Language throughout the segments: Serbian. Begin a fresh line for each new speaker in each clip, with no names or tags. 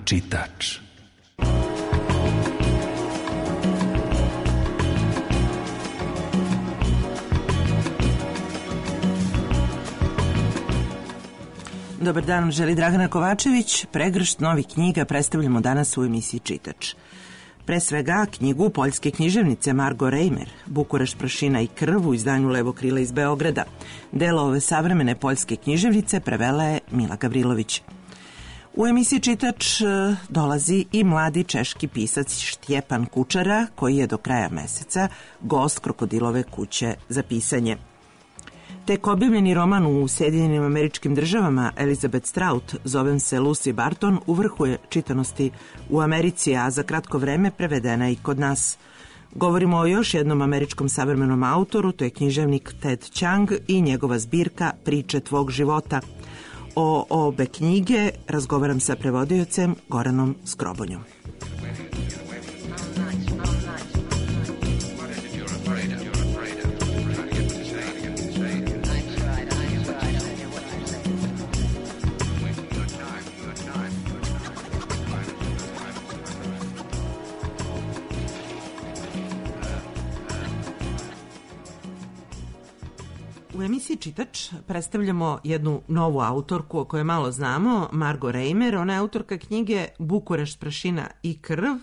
Čitač.
Dobar dan, želi Dragana Kovačević. Pregršt novih knjiga predstavljamo danas u emisiji Čitač. Pre svega knjigu poljske književnice Margo Reimer, Bukurešt, prašina i krv u izdanju Levo krila iz Beograda. Delo ove savremene poljske književnice prevela je Mila Gavrilović. U emisiji Čitač dolazi i mladi češki pisac Štjepan Kučara, koji je do kraja meseca gost Krokodilove kuće za pisanje. Tek objavljeni roman u Sjedinjenim Američkim Državama Elizabeth Strout, zovem se Lucy Barton, u vrhu je čitanosti u Americi, a za kratko vreme prevedena i kod nas. Govorimo o još jednom američkom savremenom autoru, to je književnik Ted Chiang i njegova zbirka Priče tvog života. O obe knjige razgovaram sa prevodiocem Goranom Skrobonjom. U emisiji Čitač predstavljamo jednu novu autorku o kojoj malo znamo, Margo Reimer. Ona je autorka knjige Bukurešt, prašina i krv,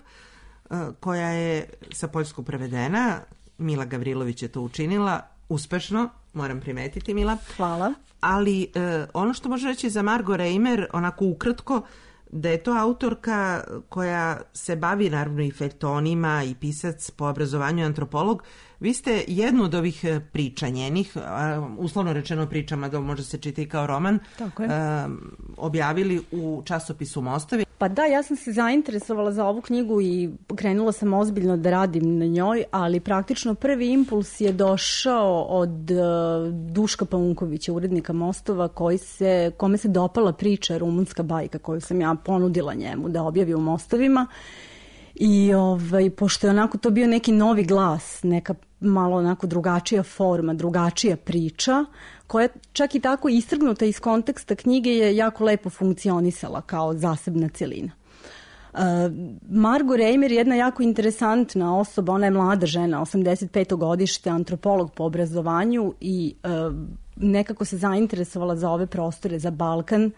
koja je sa poljskog prevedena. Mila Gavrilović je to učinila uspešno, moram primetiti, Mila.
Hvala.
Ali ono što može reći za Margo Reimer, onako ukratko, da je to autorka koja se bavi naravno i feljtonima i pisac po obrazovanju antropolog. Vi ste jednu od ovih priča njenih, uslovno rečeno pričama, da može se čitati kao roman, objavili u časopisu Mostovi.
Pa da, ja sam se zainteresovala za ovu knjigu i krenula sam ozbiljno da radim na njoj, ali praktično prvi impuls je došao od Duška Paunkovića, urednika Mostova, kome se dopala priča Rumunska bajka koju sam ja ponudila njemu da objavi u Mostovima. I pošto je onako to bio neki novi glas, neka malo onako drugačija forma, drugačija priča, koja čak i tako istrgnuta iz konteksta knjige je jako lepo funkcionisala kao zasebna celina. Margo Reimer je jedna jako interesantna osoba, ona je mlada žena, 85. godište, antropolog po obrazovanju i nekako se zainteresovala za ove prostore, za Balkan.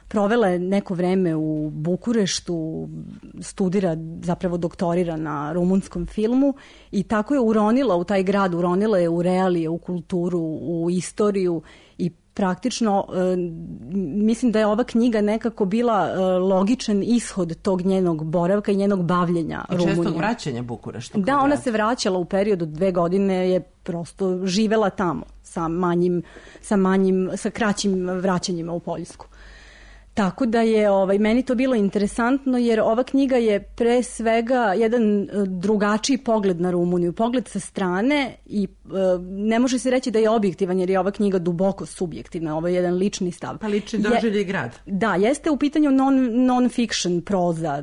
Provela je neko vreme u Bukureštu, studira, zapravo doktorira na rumunskom filmu i tako je uronila u taj grad, uronila je u realije, u kulturu, u istoriju i praktično mislim da je ova knjiga nekako bila logičan ishod tog njenog boravka i njenog bavljenja Rumunijom.
I čestog vraćanja Bukureštu.
Da, ona se vraćala u periodu 2 godine, je prosto živela tamo sa kraćim vraćanjima u Poljsku. Tako da je meni to bilo interesantno jer ova knjiga je pre svega jedan drugačiji pogled na Rumuniju, pogled sa strane i ne može se reći da je objektivan jer je ova knjiga duboko subjektivna, ovo je jedan lični stav.
Pa lični doživljaj grad.
Da, jeste u pitanju non-fiction proza,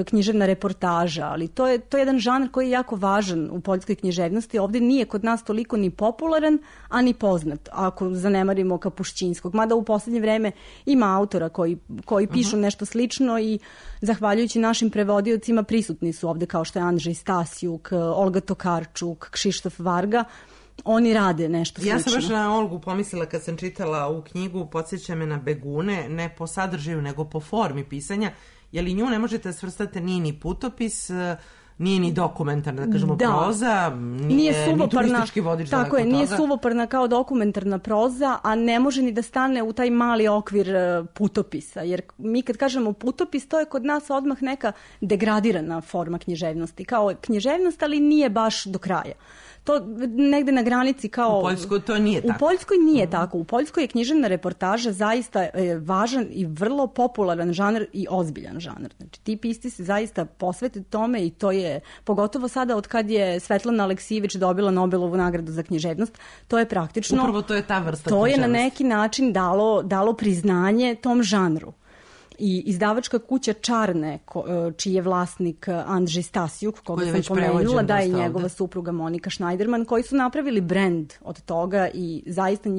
književna reportaža, ali to je jedan žanr koji je jako važan u poljskoj književnosti. Ovdje nije kod nas toliko ni popularan, a ni poznat, ako zanemarimo Kapušćinskog. Mada u posljednje vreme ima autora koji pišu nešto slično i zahvaljujući našim prevodiocima prisutni su ovdje kao što je Andrzej Stasjuk, Olga Tokarčuk, Kšištof Varga. Oni rade nešto slično.
Ja sam baš na Olgu pomislila kad sam čitala ovu knjigu, podsjeća me na Begune, ne po sadržaju nego po formi pisanja, jer i nju ne možete svrstati, nije ni putopis, nije ni dokumentarna, da kažemo, proza, nije ni turistički vodič.
Tako je, nije suvoparna kao dokumentarna proza, a ne može ni da stane u taj mali okvir putopisa. Jer mi kad kažemo putopis, to je kod nas odmah neka degradirana forma književnosti. Kao književnost, ali nije baš do kraja. To negde na granici kao...
U Poljskoj to nije tako.
U Poljskoj nije tako. U Poljskoj je književna reportaža zaista važan i vrlo popularan žanr i ozbiljan žanr. Znači, ti pisci se zaista posvete tome i to je, pogotovo sada od kad je Svetlana Aleksijević dobila Nobelovu nagradu za književnost, to je praktično...
Upravo to je ta vrsta
to
književnosti.
Je na neki način dalo priznanje tom žanru. I izdavačka kuća Čarne, čiji je vlasnik Andrzej Stasiuk, koga sam pomenula, da je njegova supruga Monika Schneiderman, koji su napravili brend od toga i zaista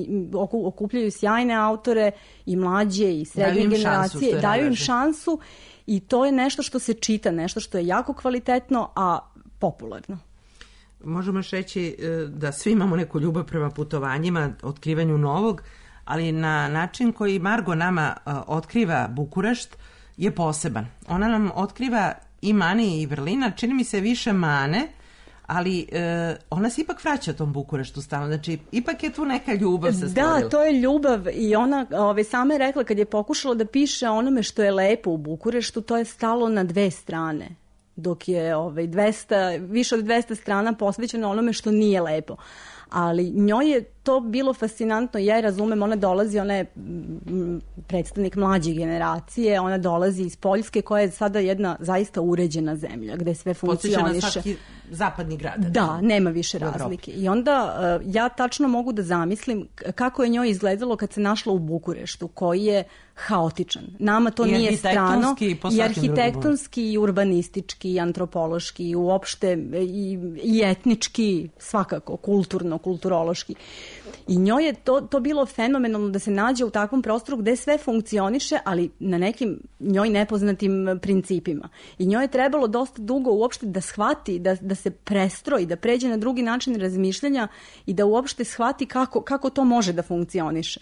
okupljaju sjajne autore i mlađe i srednje generacije, daju im šansu i to je nešto što se čita, nešto što je jako kvalitetno, a popularno.
Možemo još reći da svi imamo neku ljubav prema putovanjima, otkrivanju novog, ali na način koji Margo nama otkriva Bukurešt je poseban. Ona nam otkriva i mane i vrlina, čini mi se više mane, ali ona se ipak vraća tom Bukureštu stalno. Znači, ipak je tu neka ljubav se stvorila.
Da, to je ljubav i ona sama je rekla kad je pokušala da piše onome što je lepo u Bukureštu, to je stalo na 2 strane. Dok je više od 200 strana posvećeno onome što nije lepo. Ali njoj je to bilo fascinantno, ja je razumem, ona je predstavnik mlađe generacije, ona dolazi iz Poljske koja je sada jedna zaista uređena zemlja gde sve funkcioniše.
Podsjeća na svaki zapadni grad.
Da, nema više razlike. I onda ja tačno mogu da zamislim kako je njoj izgledalo kad se našla u Bukureštu, koji je haotičan. Nama to nije strano. I arhitektonski, i urbanistički, i antropološki, i uopšte i etnički, svakako, kulturološki. I njoj je to bilo fenomenalno da se nađe u takvom prostoru gde sve funkcioniše, ali na nekim njoj nepoznatim principima. I njoj je trebalo dosta dugo uopšte da shvati, da se prestroji, da pređe na drugi način razmišljanja i da uopšte shvati kako to može da funkcioniše.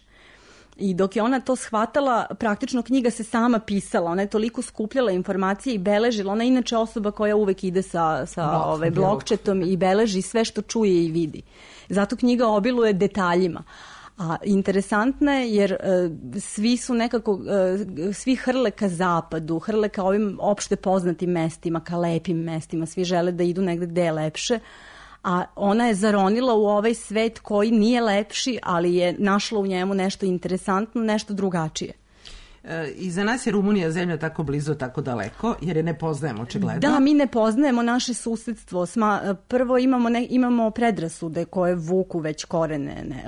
I dok je ona to shvatala, praktično knjiga se sama pisala, ona je toliko skupljala informacije i beležila, ona je inače osoba koja uvek ide sa blokčetom i beleži sve što čuje i vidi. Zato knjiga obiluje detaljima. A interesantna je jer svi su nekako, svi hrle ka zapadu, hrle ka ovim opšte poznatim mestima, ka lepim mestima, svi žele da idu negde gde je lepše, a ona je zaronila u ovaj svet koji nije lepši, ali je našla u njemu nešto interesantno, nešto drugačije.
I za nas je Rumunija zemlja tako blizu, tako daleko, jer je ne poznajemo očigledno.
Da, mi ne poznajemo naše susedstvo. Prvo imamo predrasude koje vuku već korene,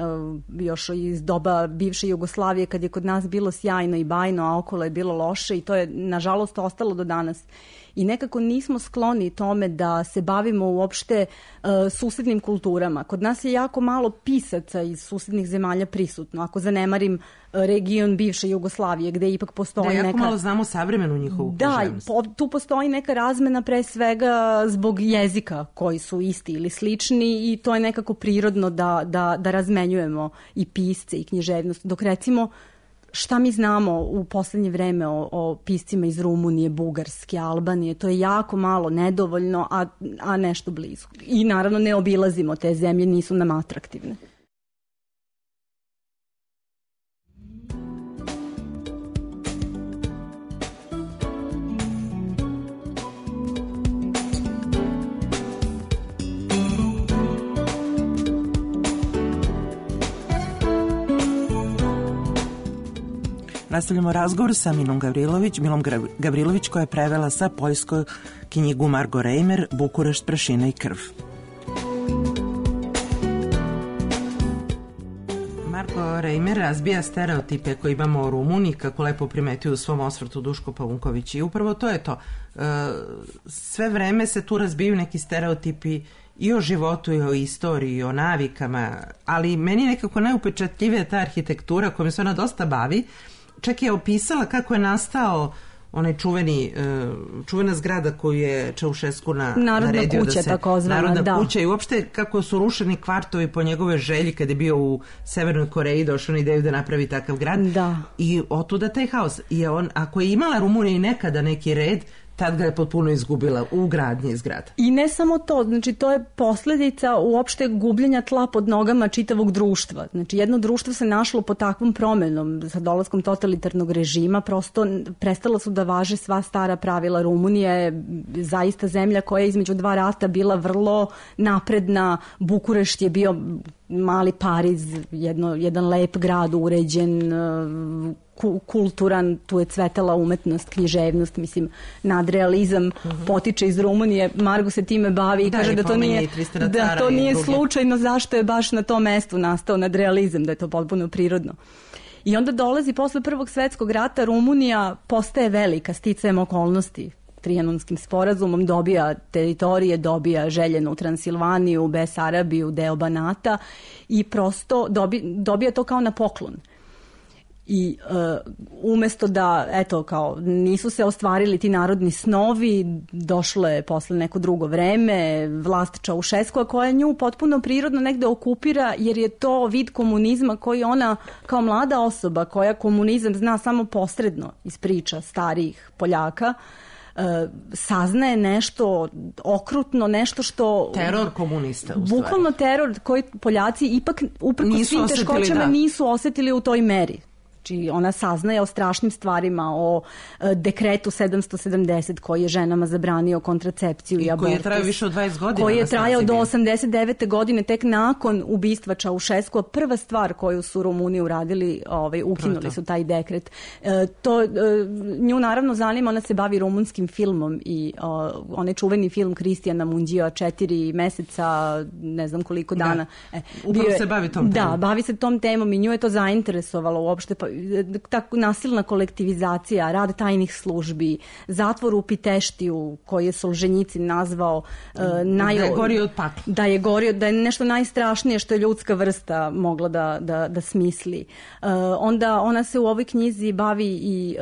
još iz doba bivše Jugoslavije, kad je kod nas bilo sjajno i bajno, a okolo je bilo loše i to je, nažalost, ostalo do danas. I nekako nismo skloni tome da se bavimo uopšte susednim kulturama. Kod nas je jako malo pisaca iz susednih zemalja prisutno. Ako zanemarim region bivše Jugoslavije, gde ipak postoji neka...
Da, jako malo znamo savremenu njihovu književnost.
Da, tu postoji neka razmena pre svega zbog jezika koji su isti ili slični i to je nekako prirodno da razmenjujemo i pisce i književnost. Dok recimo šta mi znamo u poslednje vreme o piscima iz Rumunije, Bugarske, Albanije, to je jako malo, nedovoljno, a nešto blizu. I naravno ne obilazimo te zemlje, nisu nam atraktivne.
Nastavljamo razgovor sa Milom Gavrilović koja je prevela sa poljskoj knjigu Margo Reimer Bukurešt, prašina i krv. Margo Reimer razbija stereotipe koje imamo o Rumuniji, kako lepo primetio u svom osvrtu Duško Pavunković. I upravo to je to. Sve vreme se tu razbiju neki stereotipi i o životu, i o istoriji, i o navikama, ali meni nekako najupečatljivija ta arhitektura kojom se ona dosta bavi. Čak je opisala kako je nastao onaj čuvena zgrada koju je Čaušesku naredio da se... Narodna kuća i uopšte kako su rušeni kvartovi po njegove želji kad je bio u Severnoj Koreji, došao na ideju da napravi takav grad.
Da.
I otuda taj haos. I ako je imala Rumunija i nekada neki red, tad ga je potpuno izgubila u gradnji zgrada.
I ne samo to, znači to je posledica uopšte gubljenja tla pod nogama čitavog društva. Znači jedno društvo se našlo pod takvom promenom sa dolaskom totalitarnog režima, prosto prestala su da važe sva stara pravila. Rumunija je zaista zemlja koja je između 2 rata bila vrlo napredna. Bukurešt je bio mali Pariz, jedan lep grad, uređen, kulturan, tu je cvetala umetnost, književnost, mislim, nadrealizam potiče iz Rumunije. Margo se time bavi i kaže da to nije slučajno zašto je baš na tom mestu nastao nadrealizam, da je to potpuno prirodno. I onda dolazi posle Prvog svetskog rata, Rumunija postaje velika sticajem okolnosti. Trijanonskim sporazumom dobija teritorije, dobija željenu Transilvaniju, Besarabiju, deo Banata i prosto dobija to kao na poklon. I umesto da, eto, kao nisu se ostvarili ti narodni snovi, došlo je posle neko drugo vreme, vlast Čaušeskua koja nju potpuno prirodno negde okupira, jer je to vid komunizma koji ona kao mlada osoba koja komunizam zna samo posredno iz priča starijih Poljaka, saznaje nešto okrutno, nešto što...
Teror komunista, u stvari.
Bukvalno teror koji Poljaci ipak uprkos svim teškoćama nisu osetili u toj meri. Znači, ona saznaje o strašnim stvarima, o dekretu 770 koji je ženama zabranio kontracepciju i abortus.
Koji je trajao više od 20 godina.
Koji je trajao do 89. godine, tek nakon ubistva Čaušeskua. Prva stvar koju su Rumuni uradili, ukinuli su taj dekret. Nju naravno zanima, ona se bavi rumunskim filmom i onaj čuveni film Kristijana Mundija 4 meseca, ne znam koliko dana.
Upravo se bavi tom temom.
Da, bavi se tom temom i nju je to zainteresovalo uopšte, tako nasilna kolektivizacija, rad tajnih službi, zatvor u Piteštiju koji je Solženjicin nazvao
da je gorio od pakla.
Da je nešto najstrašnije što je ljudska vrsta mogla da smisli. Onda ona se u ovoj knjizi bavi i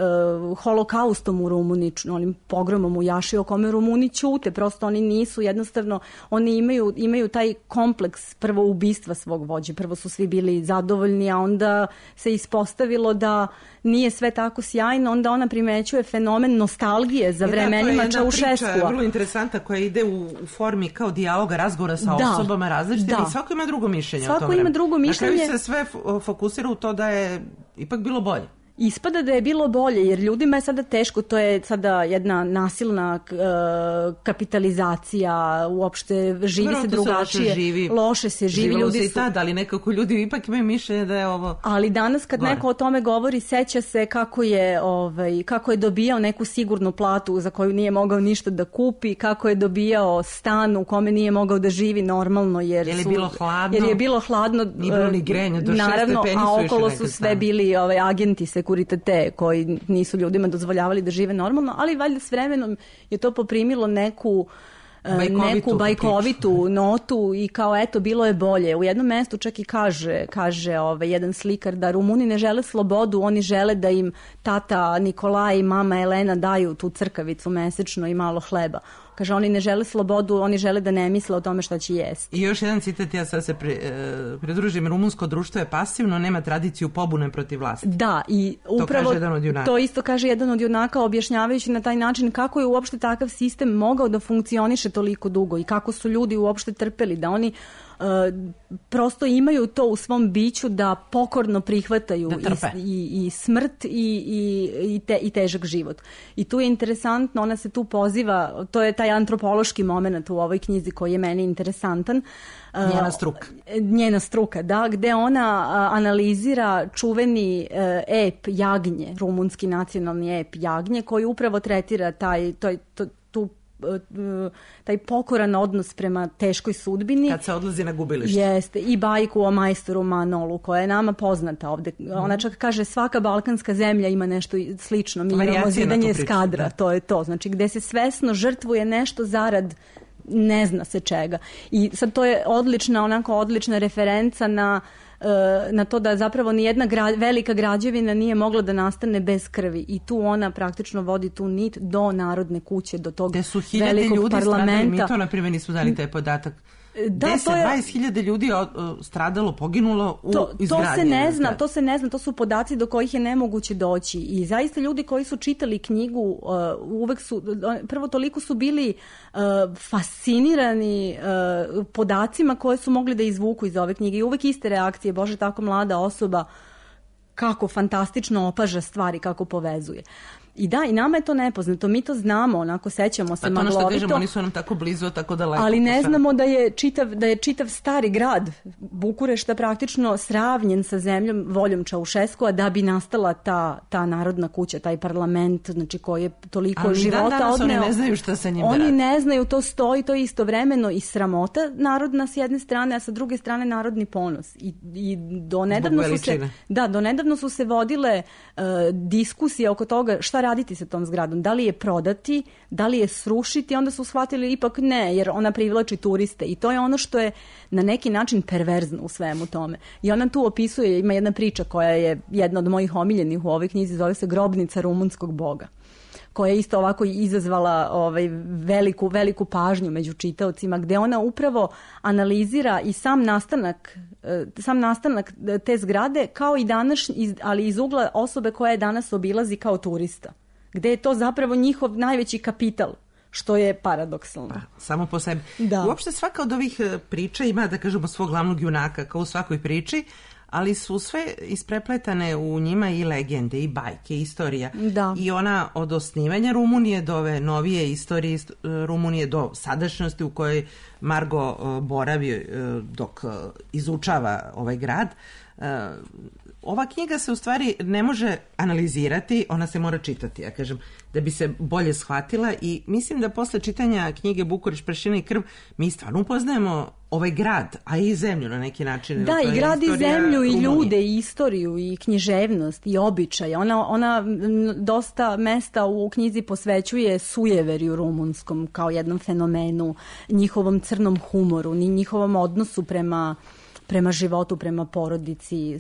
holokaustom u Rumuniji, onim pogromom u Jaši o kome Rumuni ćute, prosto oni nisu, jednostavno oni imaju taj kompleks prvo ubistva svog vođe, prvo su svi bili zadovoljni, a onda se ispostavilo da nije sve tako sjajno, onda ona primećuje fenomen nostalgije za vremenima Čaušeskua. To je jedna priča
vrlo interesanta koja ide u formi kao dijaloga, razgovora sa osobama različitim i svako ima drugo mišljenje o tome.
Svako ima drugo mišljenje.
Na kraju se sve fokusira u to da je ipak bilo bolje.
Ispada da je bilo bolje, jer ljudima je sada teško, to je sada jedna nasilna kapitalizacija, uopšte živi se drugačije, loše se živi.
Živalo se i tada, ali nekako ljudi ipak imaju mišljenje da je ovo...
Ali danas kad neko o tome govori, seća se kako je dobijao neku sigurnu platu za koju nije mogao ništa da kupi, kako je dobijao stan u kome nije mogao da živi normalno, jer
je bilo hladno.
Jer je bilo hladno,
nije bilo ni grenja, do 6 stepeni su išli.
A okolo su sve bili agenti sekuritate koji nisu ljudima dozvoljavali da žive normalno, ali valjda s vremenom je to poprimilo neku bajkovitu notu i kao eto bilo je bolje. U jednom mestu čak i kaže jedan slikar da Rumuni ne žele slobodu, oni žele da im tata Nikolaj i mama Elena daju tu crkavicu mesečno i malo hleba. Kaže, oni ne žele slobodu, oni žele da ne misle o tome šta će jesti.
I još jedan citat, ja sad se pridružim, rumunsko društvo je pasivno, nema tradiciju pobune protiv vlasti.
Da, i upravo to isto kaže jedan od junaka, objašnjavajući na taj način kako je uopšte takav sistem mogao da funkcioniše toliko dugo i kako su ljudi uopšte trpeli, da oni prosto imaju to u svom biću da pokorno prihvataju i smrt i težak život. I tu je interesantno, ona se tu poziva, to je taj antropološki moment u ovoj knjizi koji je meni interesantan. Njena struka, da, gde ona analizira čuveni ep Jagnje, rumunski nacionalni ep Jagnje, koji upravo tretira taj pokoran odnos prema teškoj sudbini.
Kad se odlazi na gubilište.
Jeste, i bajku o majstoru Manolu, koja je nama poznata ovde. Ona čak kaže, svaka balkanska zemlja ima nešto slično. Mi imamo zidanje eskadra, to je to. Znači, gde se svesno žrtvuje nešto zarad ne zna se čega. I sad to je odlična referenca na to da zapravo nijedna velika građevina nije mogla da nastane bez krvi i tu ona praktično vodi tu nit do Narodne kuće, do tog velikog parlamenta.
Mi to na primjer nismo dali taj podatak. 20.000 ljudi stradalo, poginulo u izgradnji.
To se ne zna, to su podaci do kojih je nemoguće doći i zaista ljudi koji su čitali knjigu uvek su, prvo toliko su bili fascinirani podacima koje su mogli da izvuku iz ove knjige i uvek iste reakcije, bože, tako mlada osoba, kako fantastično opaža stvari, kako povezuje. I da, i nama je to nepoznato, mi to znamo, onako sećamo se maglovito.
Pa to ono što kažemo, oni su nam tako blizu, tako daleko.
Ali ne znamo da je čitav stari grad Bukurešta praktično sravnjen sa zemljom voljom Čaušeskua da bi nastala ta narodna kuća, taj parlament, znači koji je toliko života odneo.
Ali oni ne znaju šta se njim radi.
Oni ne znaju, to stoji, to je istovremeno i sramota narodna s jedne strane, a sa druge strane narodni ponos. I do nedavno su se vodile diskusije oko toga šta raditi sa tom zgradom, da li je prodati, da li je srušiti, onda su shvatili ipak ne, jer ona privlači turiste i to je ono što je na neki način perverzno u svemu tome. I ona tu opisuje, ima jedna priča koja je jedna od mojih omiljenih u ovoj knjizi, zove se Grobnica rumunskog boga, koja je isto ovako izazvala veliku pažnju među čitaocima, gde ona upravo analizira i sam nastanak te zgrade kao i današnji, ali iz ugla osobe koja je danas obilazi kao turista, gde je to zapravo njihov najveći kapital, što je paradoksalno.
Samo po sebi.
Da.
Uopšte svaka od ovih priča ima, da kažemo, svog glavnog junaka, kao u svakoj priči, ali su sve isprepletane u njima i legende, i bajke, i istorija.
Da.
I ona od osnivanja Rumunije do ove novije istorije Rumunije do sadašnjosti u kojoj Margo boravi dok izučava ovaj grad. Ova knjiga se u stvari ne može analizirati, ona se mora čitati, ja kažem, da bi se bolje shvatila i mislim da posle čitanja knjige Bukurešt, prašina i krv mi stvarno upoznajemo ovaj grad, a i zemlju na neki način.
Da, i grad i zemlju i ljude i istoriju i književnost i običaj. Ona dosta mesta u knjizi posvećuje sujeverju rumunskom kao jednom fenomenu, njihovom crnom humoru, njihovom odnosu prema životu, prema porodici,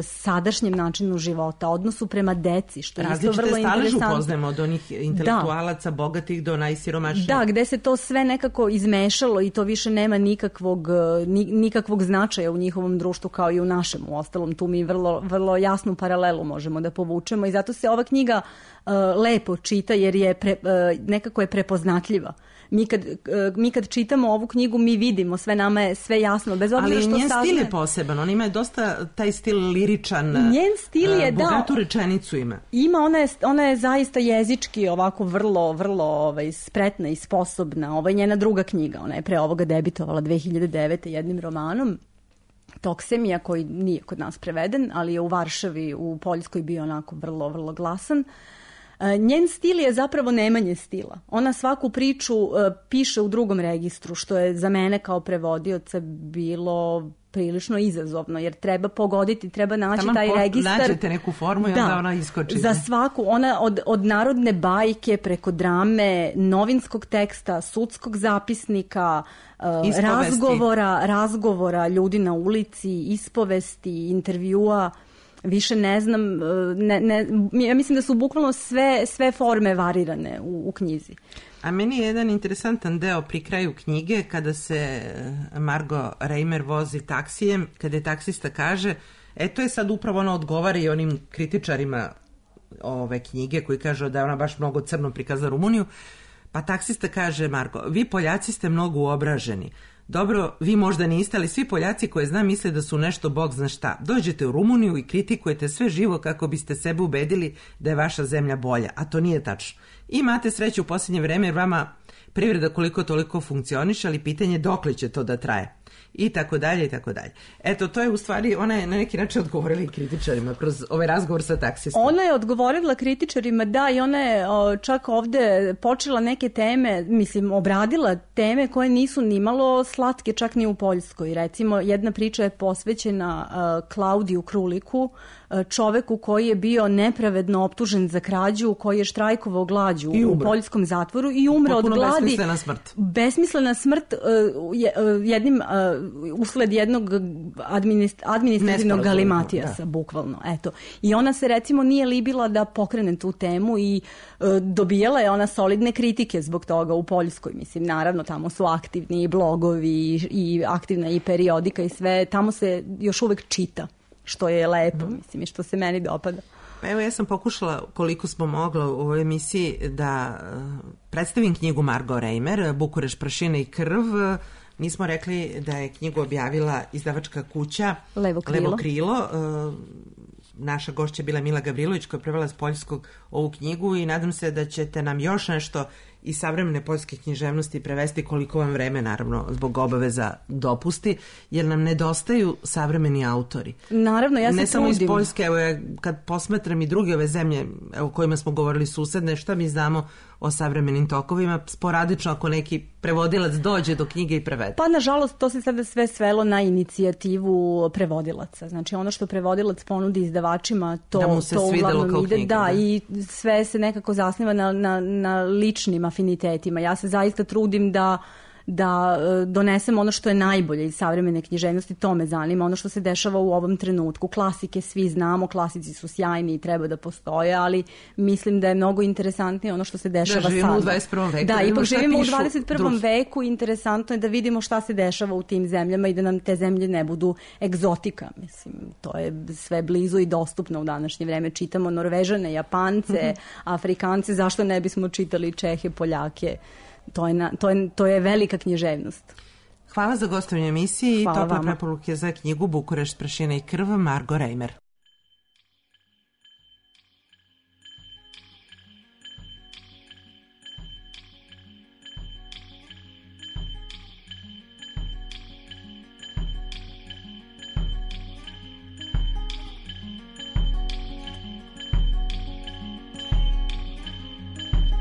sadašnjem načinu života, odnosu prema deci, što je isto vrlo interesantno.
Različite staleže upoznajemo od onih intelektualaca, bogatih do najsiromašnijih.
Da, gde se to sve nekako izmešalo i to više nema nikakvog značaja u njihovom društvu kao i u našem. U ostalom, tu mi vrlo jasnu paralelu možemo da povučemo i zato se ova knjiga lepo čita jer je nekako je prepoznatljiva. Mi kad čitamo ovu knjigu, mi vidimo, sve nama je sve jasno, bez obzira što
ali njen stil je poseban, on ima dosta taj stil liričan,
njen stil je,
bogatu rečenicu ima.
Ona je zaista jezički ovako vrlo spretna i sposobna. Ovo je njena druga knjiga, ona je pre ovoga debitovala 2009. jednim romanom, Toksemija, koji nije kod nas preveden, ali je u Varšavi, u Poljskoj bio onako vrlo glasan. Njen stil je zapravo nemanje stila. Ona svaku priču piše u drugom registru, što je za mene kao prevodioca bilo prilično izazovno, jer treba pogoditi, treba naći taj registar.
Nađete neku formu i onda ona iskoči.
Za svaku, ona od narodne bajke preko drame, novinskog teksta, sudskog zapisnika, razgovora ljudi na ulici, ispovesti, intervjua, više ne znam, ja mislim da su bukvalno sve forme varirane u knjizi.
A meni je jedan interesantan deo pri kraju knjige kada se Margo Reimer vozi taksijem, kada je taksista kaže, to je sad upravo ona odgovara i onim kritičarima ove knjige koji kažu da je ona baš mnogo crno prikazala Rumuniju, pa taksista kaže Margo, vi Poljaci ste mnogo uobraženi. Dobro, vi možda niste, ali svi Poljaci koje znam misle da su nešto bog zna šta. Dođete u Rumuniju i kritikujete sve živo kako biste sebe ubedili da je vaša zemlja bolja, a to nije tačno. Imate sreću u posljednje vreme jer vama privreda koliko toliko funkcioniše, ali pitanje je dokle će to da traje. I tako dalje, i tako dalje. Eto, to je u stvari, ona je na neki način odgovorila i kritičarima kroz ovaj razgovor sa taksistom.
Ona je odgovorila kritičarima, da, i ona je čak ovde počela neke teme, obradila teme koje nisu nimalo slatke, čak ni u Poljskoj. Recimo, jedna priča je posvećena Klaudiju Kruliku, čoveku koji je bio nepravedno optužen za krađu, koji je štrajkovao glađu u poljskom zatvoru i umre od gladi.
Besmislena smrt.
Besmislena smrt usled jednog administrativnog galimatijasa, bukvalno. Eto. I ona se recimo nije libila da pokrene tu temu i dobijala je ona solidne kritike zbog toga u Poljskoj. Naravno, tamo su aktivni i blogovi i aktivna i periodika i sve. Tamo se još uvek čita, što je lepo, i što se meni dopada.
Evo, ja sam pokušala koliko smo mogla u ovoj emisiji da predstavim knjigu Margo Reimer, Bukurešt, prašina i krv. Mi smo rekli da je knjigu objavila izdavačka kuća
Levo krilo.
naša gošća bila Mila Gavrilović koja je prevela s poljskog ovu knjigu i nadam se da ćete nam još nešto iz savremene poljske književnosti prevesti koliko vam vreme, naravno, zbog obaveza dopusti, jer nam nedostaju savremeni autori.
Naravno, ja se trudim.
Ne samo iz Poljske, evo kad posmatram i druge ove zemlje o kojima smo govorili susedne, šta mi znamo o savremenim tokovima, sporadično ako neki prevodilac dođe do knjige i prevede.
Pa, nažalost, to se sada sve svelo na inicijativu prevodilaca. Znači, ono što prevodilac ponudi izdavačima, to uglavnom ide. Da, i sve se nekako zasniva na ličnim afinitetima. Ja se zaista trudim da donesem ono što je najbolje iz savremene književnosti, to me zanima, ono što se dešava u ovom trenutku. Klasike svi znamo, klasici su sjajni i treba da postoje, ali mislim da je mnogo interesantnije ono što se dešava sada.
Da, živimo u 21. veku.
Da, ipak živimo u 21. veku i interesantno je da vidimo šta se dešava u tim zemljama i da nam te zemlje ne budu egzotika. Mislim, to je sve blizu i dostupno u današnje vreme. Čitamo Norvežane, Japance, Afrikance, zašto ne bismo čitali Čehe, Poljake? To je velika književnost.
Hvala za gostovanje emisiji i tople preporuke za knjigu Bukurešt, prašina i krv, Margo Reimer.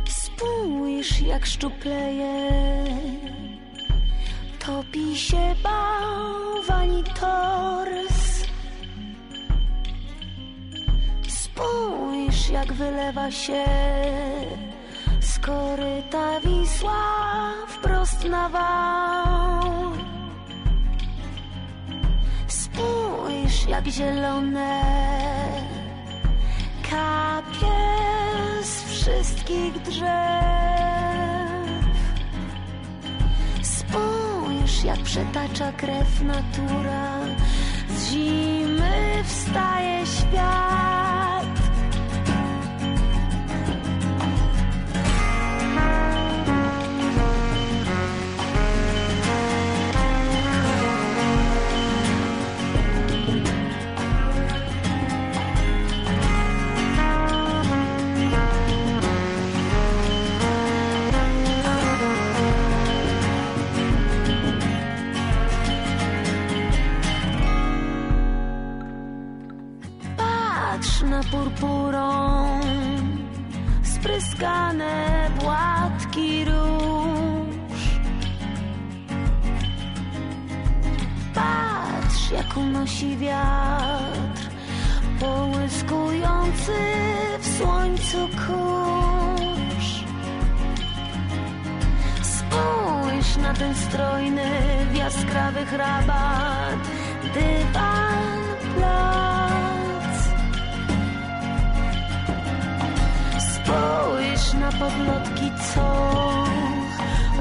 Spójrz, jak szczupleje, topi się bałwani tors. Spójrz, jak wylewa się z koryta Wisła wprost na wał. Spójrz, jak zielone kapie z wszystkich drzew. Spójrz, jak przetacza krew natura, z zimy wstaje świat. Na purpurą spryskane płatki róż. Patrz, jak unosi wiatr, połyskujący w słońcu kurz. Spójrz na ten strojny w jaskrawych rabat dywan plac. Spójrz na podlotki, co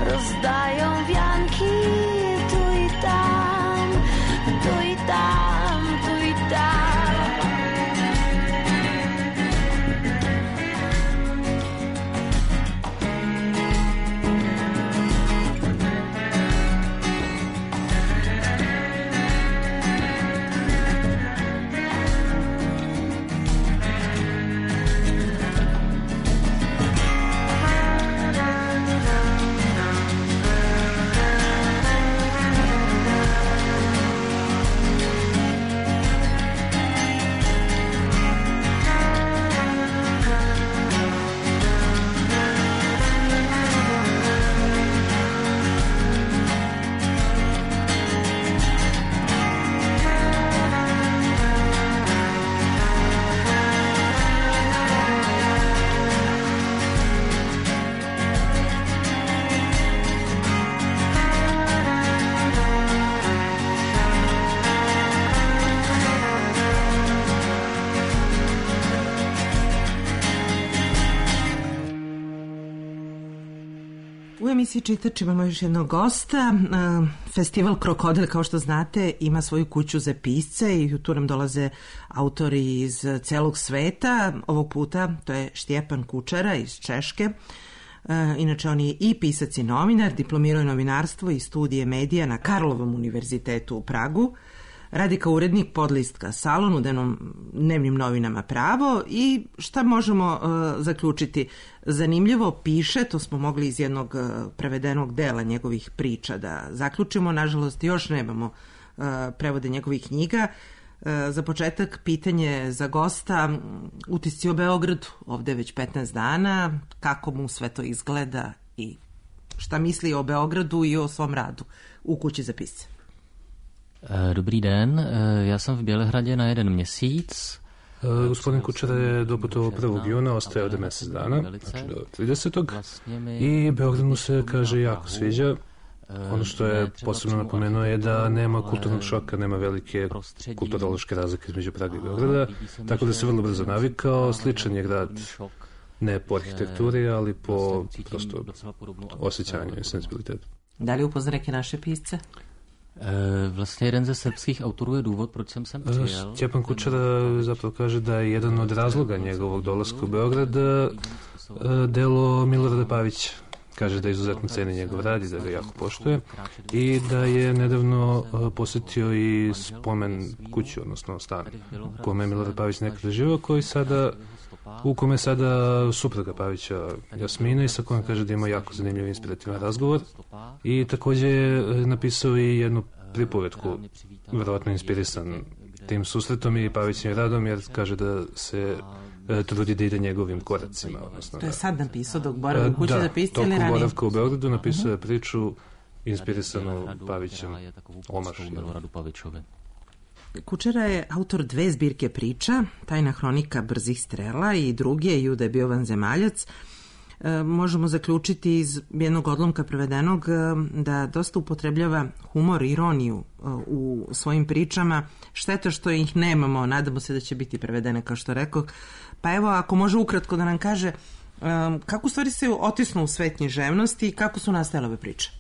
rozdają wianki tu i tam, tu i tam, tu i tam.
U emisiji Čitač imamo još jednog gosta. Festival Krokodil, kao što znate, ima svoju kuću za pisce i tu nam dolaze autori iz celog sveta. Ovog puta to je Štjepan Kučera iz Češke. Inače, on je i pisac i novinar, diplomirao je novinarstvo i studije medija na Karlovom univerzitetu u Pragu. radi kao urednik podlistka Salon u dnevnim novinama Pravo i šta možemo zaključiti? Zanimljivo piše, to smo mogli iz jednog prevedenog dela njegovih priča da zaključimo, nažalost još nemamo prevode njegovih knjiga. Za početak pitanje za gosta, utisci o Beogradu, ovde već 15 dana, kako mu sve to izgleda i šta misli o Beogradu i o svom radu u kući za pisce.
Dobrý den, ja sam v Bělehradě na 1 měsíc.
Gospodin Kučera je doputovao 1. juna, ostaje ovde mesec dana, znači do 30. I Beograd mu se, kaže, jako sviđa. Ono što je posebno napomenuo je da nema kulturnog šoka, nema velike kulturološke razlike između Praga i Beograda, tako da se vrlo brzo navikao. Sličan je grad ne po arhitekturi, ali po prosto osjećanju i sensibilitetu.
Da li upozna neke naše pisce?
Vlastně jeden ze srbských autorů je důvod, proč jsem sem přijel.
Stjepan Kučera zapravo kaže da je jedan od razloga njegovog dolaska u Beograd delo Milorada Pavića. Kaže da izuzetno ceni njegov rad i da ga jako poštuje i da je nedavno posjetio i spomen kuću, odnosno stan u kome je Milorad Pavić nekada živio, u kome sada supruga Pavića Jasmina i sa kojom kaže da ima jako zanimljiv inspirativan razgovor i također je napisao i jednu pripovetku, verovatno inspirisan tim susretom i Pavićim radom, jer kaže da se trudi da ide njegovim koracima. Odnosno,
to je sad napisao dok boravio kući za pisce ili ranije?
Tokom boravka u Beogradu napisao je priču inspirisanu Pavićem, omaš.
Kučera je autor 2 zbirke priča, Tajna hronika brzih strela i druge, Juda je bio vanzemaljac. Možemo zaključiti iz jednog odlomka prevedenog da dosta upotrebljava humor, ironiju u svojim pričama. Šteta što ih nemamo, nadamo se da će biti prevedene, kao što rekao. Pa evo, ako može ukratko da nam kaže kako stvari se otisnu u svet književnosti i kako su nastajale ove priče?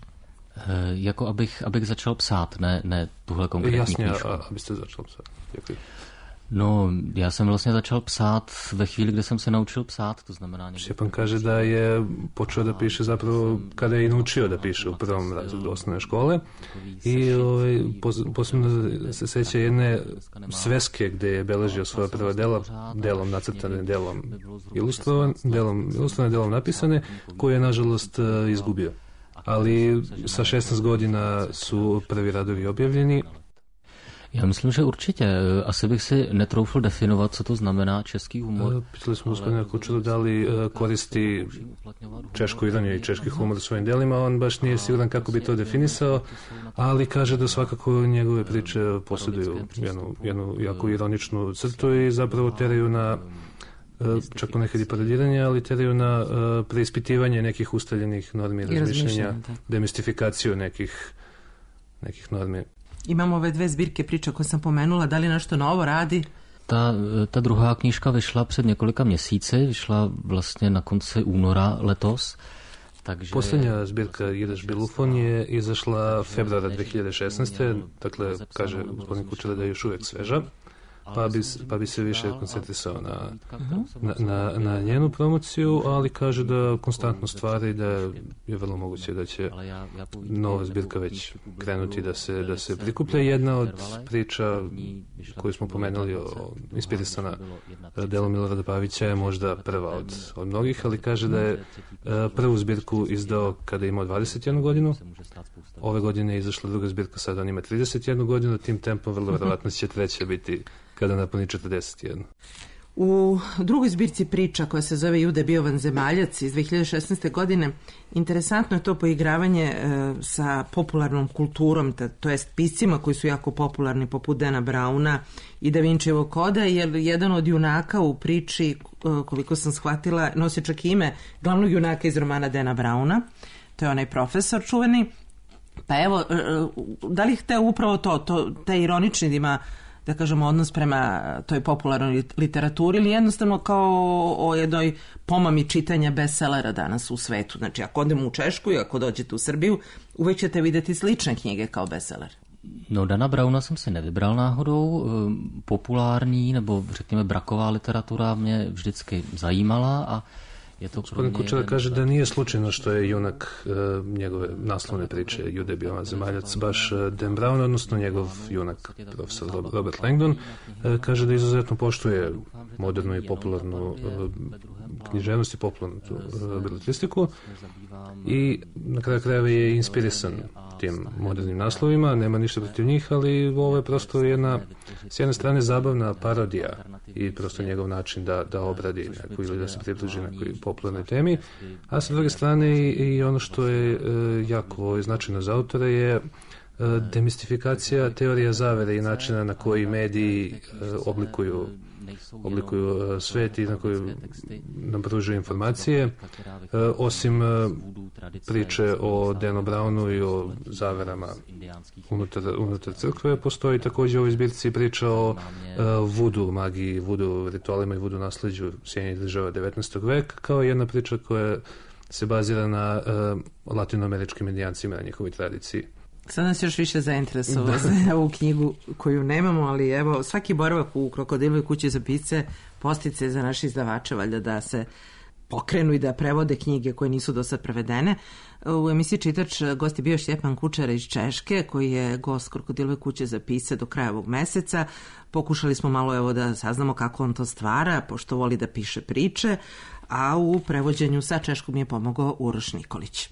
Jako abych začal psát, ne tuhle konkrétní knížku.
Jasně, abyste začal psát. Děkuji.
No, já jsem vlastně začal psát ve chvíli, kde jsem se naučil psát, to znamená...
Stjepan kaže da je počeo da piše zapravo kada je i naučio da piše u prvom razredu osnovne škole i posebno se seća jedne sveske gde je beležio svoje prva dela, delom nacrtane, delom ilustrovane, delom napisane, koje je nažalost izgubio. Ali sa 16 godina su prvi radovi objavljeni.
Já myslím, že určitě. Asi bych si netroufl definovat, co to znamená český humor.
Pitali smo gospodina Kučeru da li koristi češku ironiju i češki humor u svojim delima. On baš nije siguran kako bi to definisao, ali kaže da svakako njegove priče posjeduju jednu jako ironičnu crtu i zapravo teraju na čak ponekad i paradiranje, ali teraju na preispitivanje nekih ustaljenih normi i razmišljenja, demistifikaciju nekih normi.
Imamo ove 2 zbirke priča koje sam pomenula, da li nešto novo radi?
Ta druhá knížka vyšla před několika měsíci, vyšla vlastně na konci února letos. Takže...
Posljednja zbirka Jedeš Bilufon je izašla februara 2016. Dakle, kaže gospodin Kučera da je još uvijek sveža. Pa bi se više koncentrisao na njenu promociju, ali kaže da konstantno stvari, da je vrlo moguće da će nova zbirka već krenuti da se prikuplja. Jedna od priča koju smo pomenuli, inspirisana delom Milorada Pavića, je možda prva od mnogih, ali kaže da je prvu zbirku izdao kada je imao 21 godinu. Ove godine je izašla druga zbirka, sada on ima 31 godinu, tim tempom vrlo verovatno će treća biti kada napuni 41.
U drugoj zbirci priča koja se zove Juda je bio vanzemaljac iz 2016. godine, interesantno je to poigravanje sa popularnom kulturom, to jest piscima koji su jako popularni poput Dana Brauna i Da Vinčijevog koda, jer jedan od junaka u priči, koliko sam shvatila, nosi čak ime glavnog junaka iz romana Dana Brauna, to je onaj profesor čuveni. Pa evo, da li hteo upravo taj ironični da ima, da kažemo, odnos prema toj popularnoj literaturi ili jednostavno kao o jednoj pomami čitanja bestsellera danas u svetu? Znači, ako odemo u Češku i ako dođete u Srbiju, uvek ćete vidjeti slične knjige kao bestseller.
No, Dana Brauna jsem si nevybral náhodou. Populární nebo řekněme braková literatura mě vždycky zajímala a
Gospodin Kučera kaže da nije slučajno što je junak njegove naslovne priče Jude bio vanzemaljac baš Dan Brown, odnosno njegov junak profesor Robert Langdon. Kaže da izuzetno poštuje modernu i popularnu književnost i popularnu beletristiku i na kraju krajeva je inspirisan tim modernim naslovima, nema ništa protiv njih, ali ovo je prosto jedna, s jedne strane, zabavna parodija i prosto njegov način da obradi neku ili da se približi nekoj popularnoj temi, a sa druge strane i ono što je jako značajno za autora je demistifikacija teorija zavere i načina na koji mediji oblikuju svet i na koju nam pružuju informacije. Osim priče o Danu Brownu i o zaverama unutar crkve, postoji također u ovoj zbirci priča o vudu magiji, vudu ritualima i vudu nasleđu Sjedinjenih država 19. veka, kao jedna priča koja se bazira na latinoameričkim indijancima, na njihovoj tradiciji.
Sad nas još više zainteresovalo za ovu knjigu koju nemamo, ali evo, svaki boravak u Krokodilovoj kući za pisce postice za naše izdavače, valjda da se pokrenu i da prevode knjige koje nisu do sad prevedene. U emisiji Čitač gost je bio Stjepan Kučera iz Češke, koji je gost Krokodilove kuće za pisce do kraja ovog meseca. Pokušali smo malo da saznamo kako on to stvara, pošto voli da piše priče, a u prevođenju sa češkog mi je pomogao Uroš Nikolić.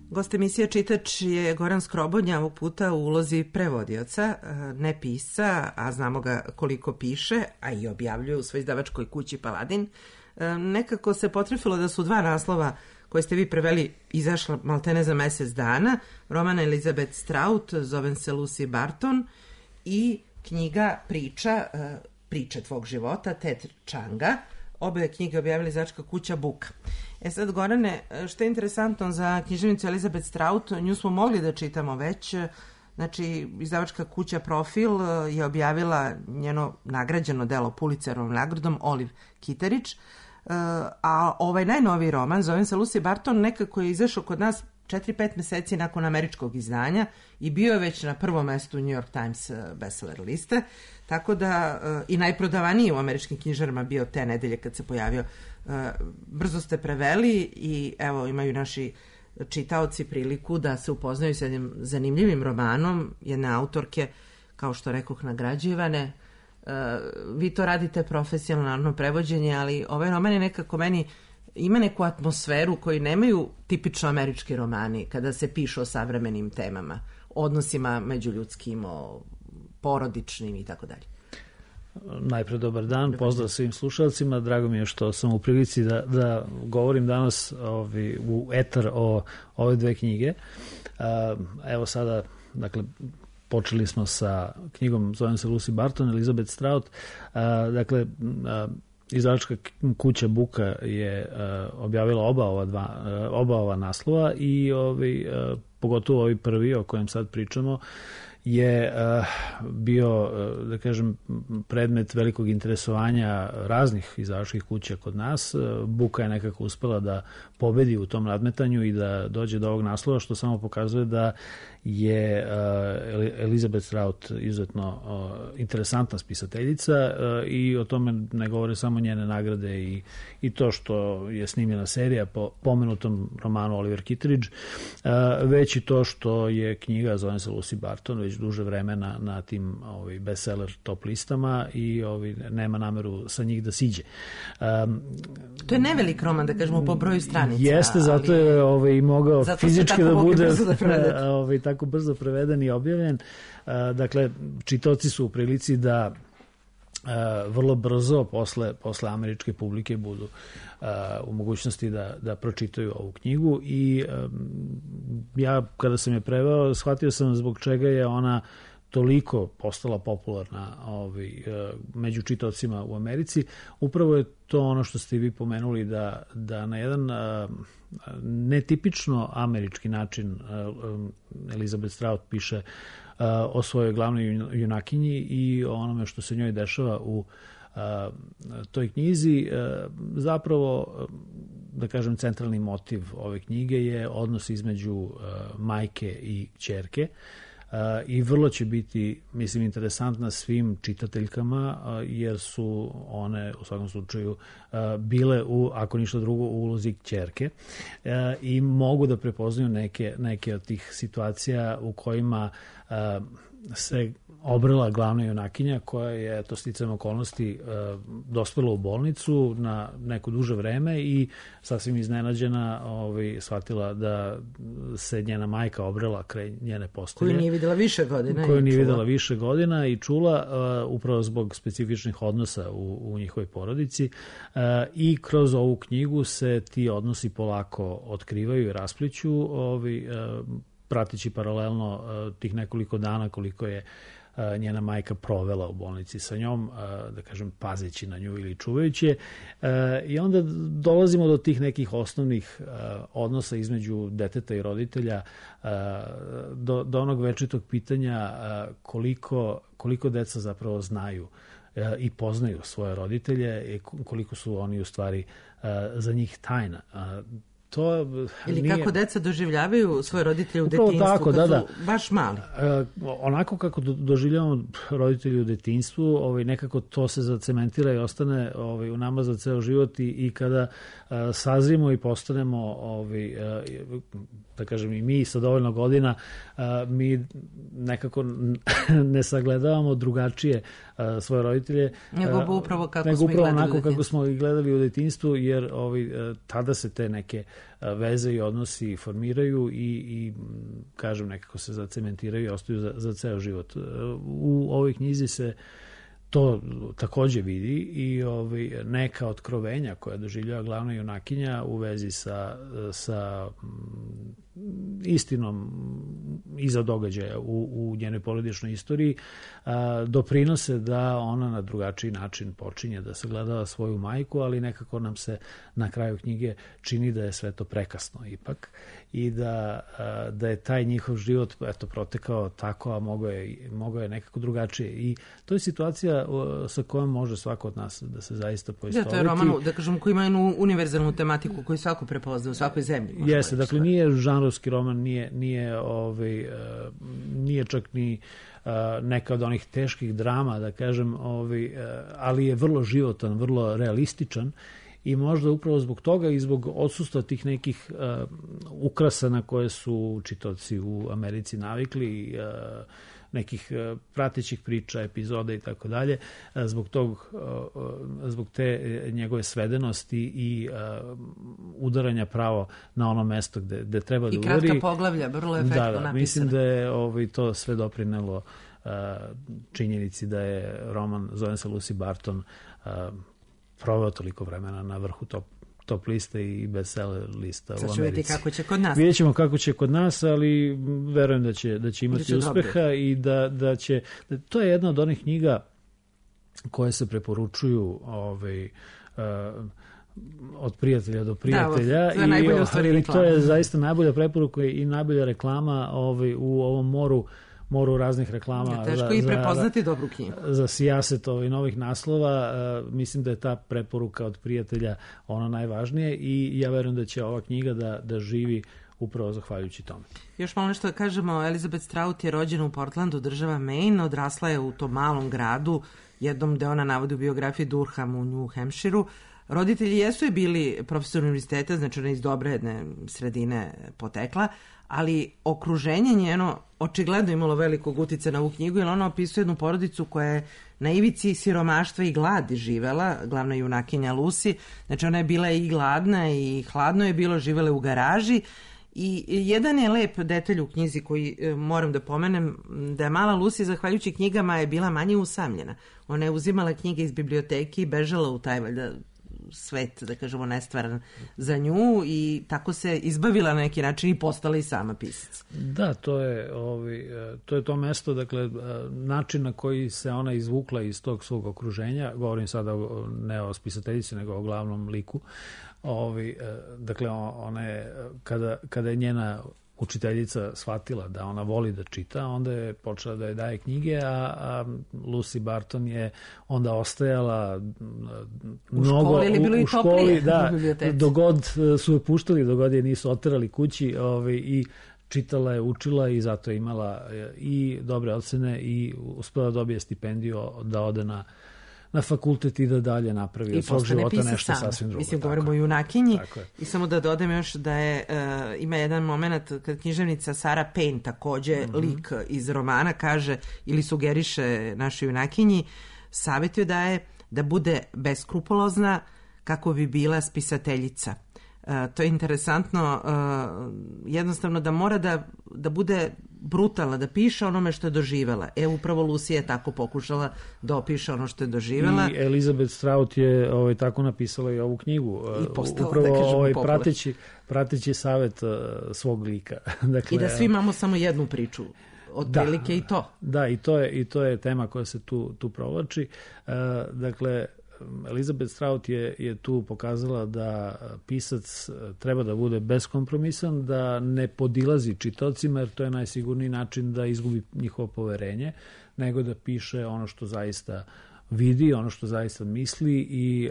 Gost emisija Čitač je Goran Skrobodnja, ovog puta u ulozi prevodioca, ne pisca, a znamo ga koliko piše, a i objavljuje u svoj izdavačkoj kući Paladin. Nekako se potrefilo da su dva naslova koje ste vi preveli izašla maltene za mesec dana. Roman Elizabeth Strout, zovem se Lucy Barton, i knjiga Priče tvog života, Ted Changa. Obe knjige objavila izdavačka kuća Buka. Sad, Gorane, što je interesantno za književnicu Elizabeth Strout, nju smo mogli da čitamo već. Znači, izdavačka kuća Profil je objavila njeno nagrađeno delo Pulitzerovom nagradom Olive Kitteridge, a ovaj najnoviji roman, zovem se Lucy Barton, nekako je izašao kod nas 4-5 meseci nakon američkog izdanja i bio je već na prvom mestu New York Times bestseller liste, tako da i najprodavaniji u američkim knjižarama bio te nedelje kad se pojavio. Brzo ste preveli i evo imaju naši čitaoci priliku da se upoznaju s jednim zanimljivim romanom jedne autorke, kao što rekoh, nagrađivane. Vi to radite profesionalno prevođenje, ali ovaj roman je nekako meni ima neku atmosferu koju nemaju tipično američki romani kada se piše o savremenim temama, odnosima međuljudskim, o porodičnim i tako dalje.
Najpre dobar dan, pozdrav svim slušalcima, drago mi je što sam u prilici da govorim danas u etar o ove dve knjige. Evo sada, dakle, počeli smo sa knjigom, zovem se Lucy Barton, Elizabeth Strout. Dakle, Izdavačka kuća Buka je objavila oba ova naslova i pogotovo ovaj prvi o kojem sad pričamo je bio, da kažem, predmet velikog interesovanja raznih izdavačkih kuća kod nas. Buka je nekako uspela da pobedi u tom nadmetanju i da dođe do ovog naslova, što samo pokazuje da je Elizabeth Strout izuzetno interesantna spisateljica i o tome ne govore samo njene nagrade i to što je snimljena serija po pomenutom romanu Oliver Kitteridge, već i to što je knjiga, zove se Lucy Barton, već duže vremena na tim bestseller top listama i nema nameru sa njih da siđe.
To je nevelik roman, da kažemo, po broju stranica.
Jeste, zato je mogao fizički da bude tako brzo preveden i objavljen. Dakle, čitaoci su u prilici da vrlo brzo posle američke publike budu u mogućnosti da pročitaju ovu knjigu i ja kada sam je preveo shvatio sam zbog čega je ona toliko postala popularna među čitaocima u Americi. Upravo je to ono što ste vi pomenuli da na jedan netipično američki način Elizabeth Strout piše o svojoj glavnoj junakinji i o onome što se njoj dešava u toj knjizi. Zapravo, da kažem, centralni motiv ove knjige je odnos između majke i ćerke i vrlo će biti, mislim, interesantna svim čitateljkama jer su one u svakom slučaju bile ako ništa drugo u ulozi ćerke i mogu da prepoznaju neke od tih situacija u kojima se obrela glavna junakinja koja je, to sticajem okolnosti, dospela u bolnicu na neko duže vreme i sasvim iznenađena shvatila da se njena majka obrela kraj njene postelje.
Koju nije videla više godina. I čula upravo zbog specifičnih odnosa u njihovoj porodici i kroz ovu knjigu se ti odnosi polako otkrivaju i raspliću, prateći paralelno tih nekoliko dana koliko je njena majka provela u bolnici sa njom, da kažem, pazeći na nju ili čuvajući je. I onda dolazimo do tih nekih osnovnih odnosa između deteta i roditelja, do onog večitog pitanja koliko deca zapravo znaju i poznaju svoje roditelje i koliko su oni u stvari za njih tajna. Ili kako deca doživljavaju svoje roditelje u detinjstvu
tako,
kad su baš mali.
Onako kako doživljavamo roditelji u detinjstvu, nekako to se zacementira i ostane u nama za ceo život i kada sazrimo i postanemo, da kažem, i mi sa dovoljno godina, mi nekako ne sagledavamo drugačije svoje roditelje.
Nego upravo
kako smo ih gledali u detinjstvu, jer tada se te neke veze i odnosi formiraju i kažem, nekako se zacementiraju i ostaju za ceo život. U ovoj knjizi se to takođe vidi i neka otkrovenja koja doživljava glavna junakinja u vezi sa istinom iza događaja u njenoj porodičnoj istoriji doprinose da ona na drugačiji način počinje da sagledava svoju majku, ali nekako nam se na kraju knjige čini da je sve to prekasno ipak i da je taj njihov život protekao tako, a mogao je nekako drugačije. I to je situacija sa kojom može svako od nas da se zaista poistoveti.
To je roman, da kažem, koji ima jednu univerzalnu tematiku koju svako prepozna u svakoj zemlji.
Jeste, dakle nije žanrovski roman, nije čak ni neka od onih teških drama, da kažem, ali je vrlo životan, vrlo realističan i možda upravo zbog toga i zbog odsustva tih nekih ukrasa na koje su čitaoci u Americi navikli, nekih pratećih priča, epizoda i tako dalje, zbog te njegove svedenosti i udaranja pravo na ono mesto gde treba da udari.
I kratka poglavlja, vrlo efektno napisano.
Mislim da je to sve doprinelo činjenici da je roman, zove se Lucy Barton, proveo toliko vremena na vrhu top liste i bestseller lista u Americi.
Sad ću vidjeti kako će kod nas.
Vidjet ćemo kako će kod nas, ali verujem da će imati uspeha i da će... To je jedna od onih knjiga koje se preporučuju od prijatelja do prijatelja.
Da, to je najbolja stvari reklama.
To je zaista najbolja preporuka i najbolja reklama u ovom moru raznih reklama.
Teško i prepoznati dobru knjigu.
Za sijaset novih naslova. Mislim da je ta preporuka od prijatelja ona najvažnije i ja verujem da će ova knjiga da živi upravo zahvaljujući tome.
Još malo nešto da kažemo, Elizabeth Strout je rođena u Portlandu, država Maine, odrasla je u tom malom gradu, jednom gde ona navodi u biografiji Durham u New Hampshireu. Roditelji jesu je bili profesor univerziteta, znači ona iz dobre jedne sredine potekla, ali okruženje njeno očigledno imalo velikog uticaja na ovu knjigu, jer ona opisuje jednu porodicu koja je na ivici siromaštva i gladi živela, glavna junakinja Lucy, znači ona je bila i gladna i hladno je bilo, živela u garaži. I jedan je lep detalj u knjizi koji moram da pomenem, da je mala Lucy zahvaljujući knjigama je bila manje usamljena. Ona je uzimala knjige iz biblioteke i bežala u taj valjda svet, da kažemo, nestvaran za nju i tako se izbavila na neki način i postala i sama pisac.
Da, to je to mesto, dakle, način na koji se ona izvukla iz tog svog okruženja, govorim sada ne o spisateljici, nego o glavnom liku. Dakle, ona je, kada je njena učiteljica shvatila da ona voli da čita, onda je počela da je daje knjige, a Lucy Barton je onda ostajala mnogo u školi, da, dogod su je puštali, dogod je nisu oterali kući i čitala je, učila i zato je imala i dobre ocene i uspela da dobije stipendiju da ode na fakultet i da dalje napravi od svog života nešto sasvim drugo.
Mislim, govorimo o junakinji i samo da dodam još da je, ima jedan moment kad književnica Sarah Payne, takođe lik iz romana, kaže ili sugeriše našoj junakinji, savjet joj daje da bude beskrupulozna kako bi bila spisateljica. To je interesantno, jednostavno da mora da bude brutalna, da piše onome što je doživela. Upravo Lucy je tako pokušala da opiše ono što je doživela.
I Elizabeth Strout je tako napisala i ovu knjigu.
I postala,
upravo
da kažemo,
prateći savet svog lika. Dakle,
i da svi imamo samo jednu priču. Otprilike i to.
Da, i to je tema koja se tu provlači. Dakle, Elizabeth Strout je tu pokazala da pisac treba da bude beskompromisan, da ne podilazi čitaocima, jer to je najsigurniji način da izgubi njihovo poverenje, nego da piše ono što zaista vidi, ono što zaista misli i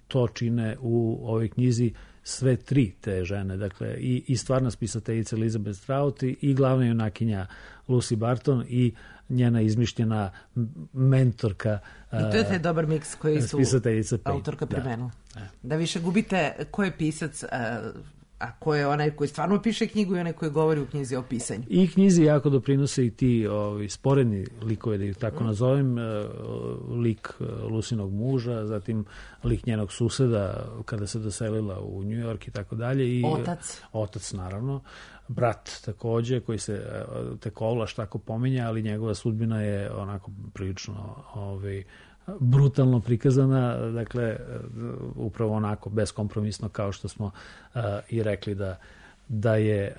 to čine u ovoj knjizi sve tri te žene, dakle i stvarna spisateljica Elizabeth Strout i glavna junakinja Lucy Barton i njena izmišljena mentorka.
I to je taj dobar miks koji su autorka primenula. Da više gubite ko je pisac, a ko je onaj koji stvarno piše knjigu i onaj koji govori u knjizi o pisanju.
I knjizi jako doprinose i ti sporedni likove, da ih tako nazovem, lik Lucinog muža, zatim lik njenog suseda kada se doselila u New York i tako dalje. Otac, naravno. Brat takođe, koji se tek ovlaš tako pominja, ali njegova sudbina je onako prilično brutalno prikazana, dakle upravo onako beskompromisno kao što smo i rekli da je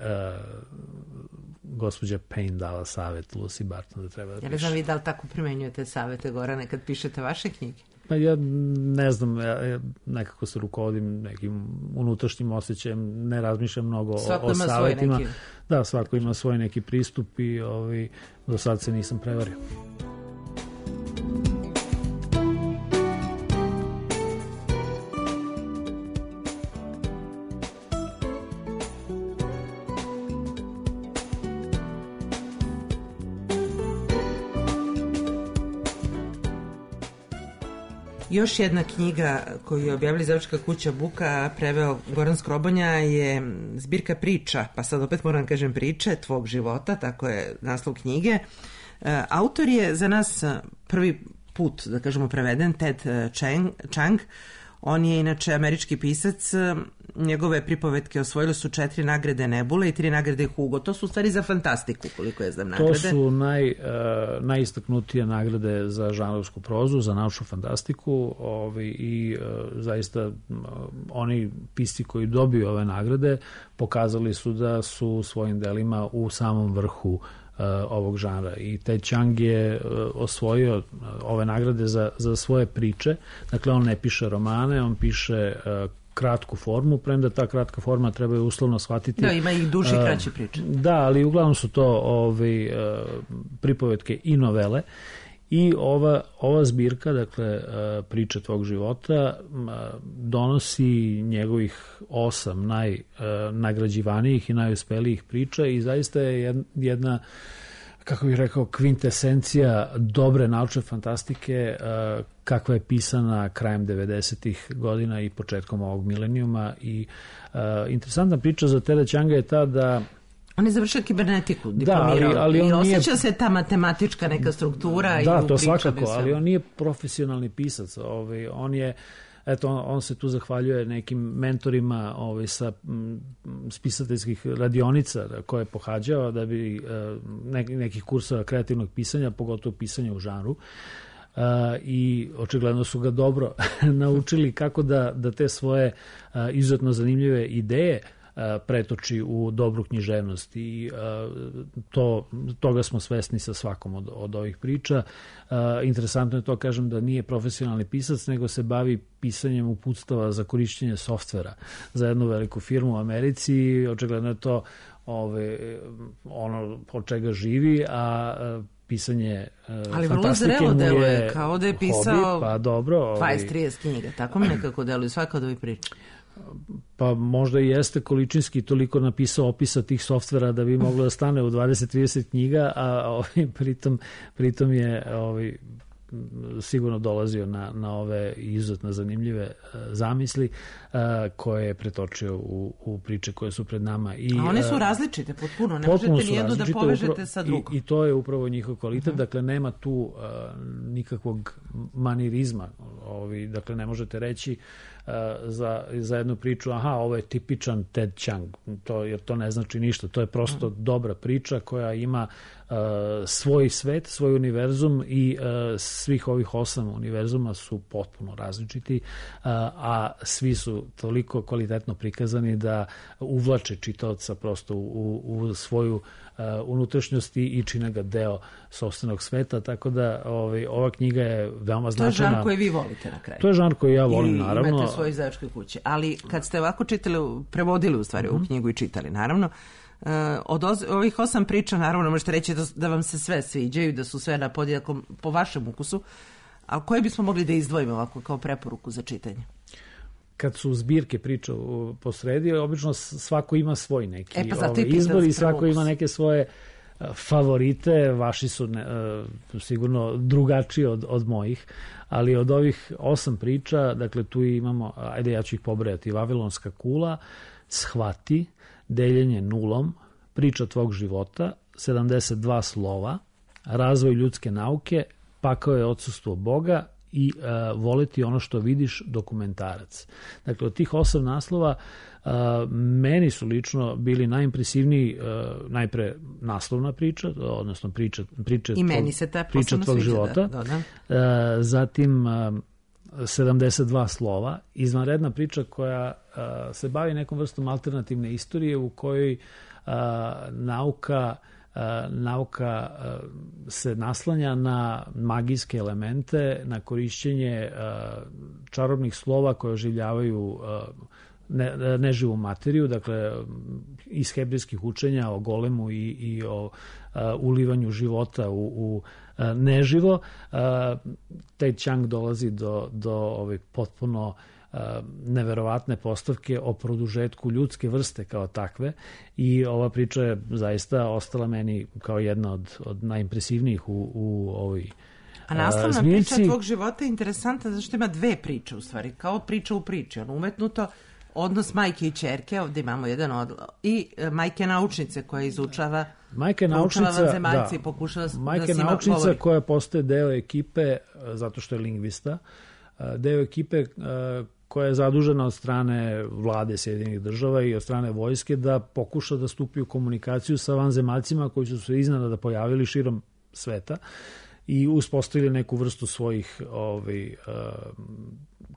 gospođa Payne dala savet Lucy Barton da treba da piše.
Ja ne znam vi da li tako primenjujete savete, Gorane, kad pišete vaše knjige?
Pa ja ne znam, ja nekako se rukovodim nekim unutrašnjim osjećajem, ne razmišljam mnogo o savetima. Da, svako ima svoj neki pristup i do sad se nisam prevario.
Još jedna knjiga koju je objavila izdavačka kuća Buka, preveo Goran Skrobonja, je zbirka priča, pa sad opet moram kažem priče tvog života, tako je naslov knjige. Autor je za nas prvi put, da kažemo, preveden, Ted Chiang. On je inače američki pisac, njegove pripovetke osvojile su 4 nagrade Nebule i 3 nagrade Hugo. To su u stvari za fantastiku, koliko je znam nagrade.
To su najistaknutije nagrade za žanrovsku prozu, za naučnu fantastiku i zaista oni pisci koji dobiju ove nagrade pokazali su da su svojim delima u samom vrhu ovog žanra. I Ted Chiang je osvojio ove nagrade za svoje priče. Dakle, on ne piše romane, on piše kratku formu, premda ta kratka forma treba je uslovno shvatiti.
Da, ima i duži i kraći priče.
Da, ali uglavnom su to pripovetke i novele. I ova zbirka, dakle, priče tvog života, donosi njegovih 8 najnagrađivanijih i najuspelijih priča i zaista je jedna, kako bih rekao, kvintesencija dobre naučne fantastike kakva je pisana krajem 90-ih godina i početkom ovog milenijuma. I interesantna priča za Teda Chianga je ta da
on je završio kibernetiku, diplomirao.
Da, ali
i
on
osjeća
nije...
se ta matematička neka struktura.
Da,
i
to svakako, ali on nije profesionalni pisac. On je, on se tu zahvaljuje nekim mentorima sa spisateljskih radionica koje je pohađao da bi nekih kursova kreativnog pisanja, pogotovo pisanja u žanru. I očigledno su ga dobro naučili kako da te svoje izuzetno zanimljive ideje pretoči u dobru književnost i toga smo svesni sa svakom od ovih priča. Interesantno je to, kažem, da nije profesionalni pisac, nego se bavi pisanjem uputstava za korišćenje softvera za jednu veliku firmu u Americi i očigledno je to ono od čega živi, a pisanje
ali vrlo zrelo deluje, kao da je pisao 20-30 knjiga, tako mi nekako deluje svaka od ovih priča.
Pa možda i jeste količinski toliko napisao opisa tih softvera da bi moglo da stane u 20-30 knjiga, a pritom je sigurno dolazio na ove izuzetno zanimljive zamisli koje je pretočio u priče koje su pred nama.
A one su različite potpuno, ne možete nijednu da povežete sa drugom.
I to je upravo njihov kvalitet, dakle nema tu nikakvog manirizma, dakle ne možete reći za jednu priču, ovo je tipičan Ted Chiang, jer to ne znači ništa, to je prosto dobra priča koja ima svoj svet, svoj univerzum i svih ovih 8 univerzuma su potpuno različiti, a svi su toliko kvalitetno prikazani da uvlače čitaoca prosto u svoju unutrašnjost i čine ga deo sopstvenog sveta, tako da ova knjiga je veoma značajna.
To je žanr koji vi volite na kraju.
To je žanr koji ja volim, naravno.
I imate u svojoj izdavačkoj kući. Ali kad ste ovako čitali, prevodili u stvari ovu knjigu i čitali, naravno, od ovih 8 priča, naravno, možete reći da vam se sve sviđaju, da su sve na podjednakom po vašem ukusu, a koje bismo mogli da izdvojimo ovako kao preporuku za čitanje?
Kad su zbirke priča posredi, obično svako ima svoj neki izbor i svako ima neke svoje favorite, vaši su sigurno drugačiji od mojih, ali od ovih 8 priča, dakle tu imamo, ajde ja ću ih pobrojati, Vavilonska kula, Shvati, Deljenje nulom, Priča tvog života, 72 slova, Razvoj ljudske nauke, Pakao je odsustvo Boga i Voleti ono što vidiš, dokumentarac. Dakle, od tih 8 naslova meni su lično bili najimpresivniji najpre naslovna priča, odnosno priča tvog života, zatim 72 slova, izvanredna priča koja se bavi nekom vrstom alternativne istorije u kojoj nauka se naslanja na magijske elemente, na korišćenje čarobnih slova koje oživljavaju neživu materiju, dakle iz hebrijskih učenja o golemu i o ulivanju života u neživo. Ted Chiang dolazi do potpuno neverovatne postavke o produžetku ljudske vrste kao takve i ova priča je zaista ostala meni kao jedna od najimpresivnijih u ovoj zbirci.
A naslovna priča tvog života je interesantna zato što ima 2 priče u stvari, kao priča u priči, umetnuto odnos majke i ćerke, ovdje imamo jedan i majke naučnice koja izučava vanzemaljce i pokušava da se
majke naučnica koja postaje deo ekipe zato što je lingvista, deo ekipe koja je zadužena od strane vlade Sjedinjenih država i od strane vojske da pokuša da stupi u komunikaciju sa vanzemaljcima koji su se iznenada pojavili širom sveta i uspostavili neku vrstu svojih